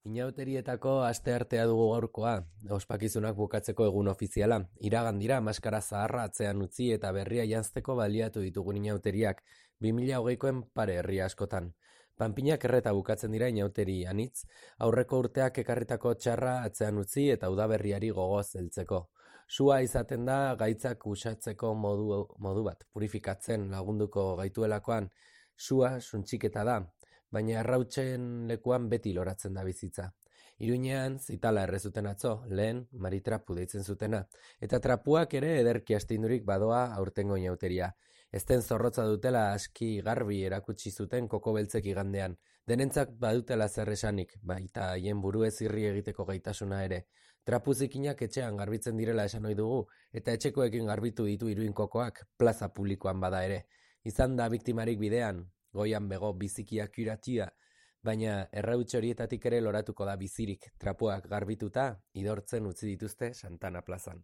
Inauterietako asteartea dugu gaurkoa, ospakizunak bukatzeko egun ofiziala. Iragan dira maskara zaharra atzean utzi eta berria janzteko baliatu ditugun inauteriak, 2020koen pare herri askotan. Panpinak erreta bukatzen dira inauteri anitz, aurreko urteak ekarritako txarra atzean utzi eta udaberriari gogoz heltzeko. Sua izaten da gaitzak usatzeko modu bat, purifikatzen lagunduko gaituelakoan, sua suntxiketa da, baina errautzen lekuan beti loratzen da bizitza. Iruinean, zitala errezuten atzo, lehen maritrapu deitzen zutena, eta trapuak ere ederki astindurik badoa aurtengo inauteria. Ezten zorrotza dutela aski garbi erakutsi zuten koko beltzek igandean, denentzak badutela zer esanik, baita haien buruez irri egiteko gaitasuna ere. Trapu zikinak etxean garbitzen direla esan ohi dugu, eta etxekoekin garbitu ditu iruin kokoak plaza publikoan bada ere. Izan da biktimarik bidean, goian bego bizikiak iratia, baina errautz horietatik ere loratuko da bizirik, trapuak garbituta, idortzen utzi dituzte Santana plazan.